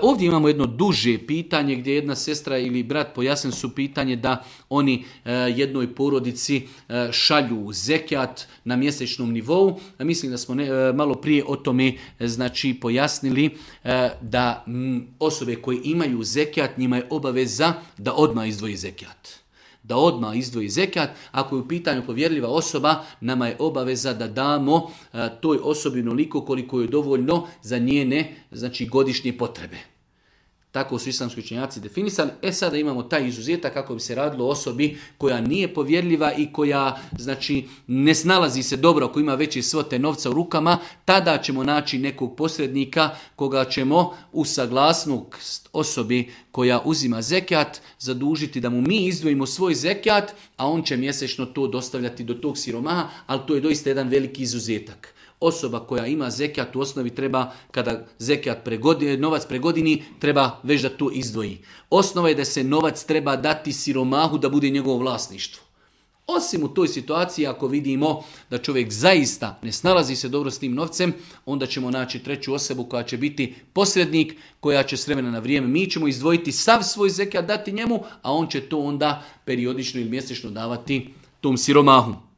Ovdje imamo jedno duže pitanje gdje jedna sestra ili brat pojasnili su pitanje da oni jednoj porodici šalju zekijat na mjesečnom nivou. Mislim da smo malo prije o tome pojasnili da osobe koje imaju zekijat, njima je obaveza da odmah izdvoji zekijat. Da odmah izdvoji zekijat. Ako je u pitanju povjerljiva osoba, nama je obaveza da damo toj osobi onoliko koliko je dovoljno za njene godišnje potrebe. Tako su islamski učenjaci definisali. Sada imamo taj izuzetak kako bi se radilo o osobi koja nije povjerljiva i koja ne snalazi se dobro, ako ima veće svote novca u rukama, tada ćemo naći nekog posrednika koga ćemo u saglasnost osobi koja uzima zekijat zadužiti da mu mi izdvojimo svoj zekijat, a on će mjesečno to dostavljati do tog siromaha, ali to je doista jedan veliki izuzetak. Osoba koja ima zekijat u osnovi treba, kada zekijat novac pregodini, treba već da to izdvoji. Osnova je da se novac treba dati siromahu da bude njegovo vlasništvo. Osim u toj situaciji, ako vidimo da čovjek zaista ne snalazi se dobro s tim novcem, onda ćemo naći treću osobu koja će biti posrednik, koja će s vremena na vrijeme, mi ćemo izdvojiti sav svoj zekijat, dati njemu, a on će to onda periodično ili mjesečno davati tom siromahu.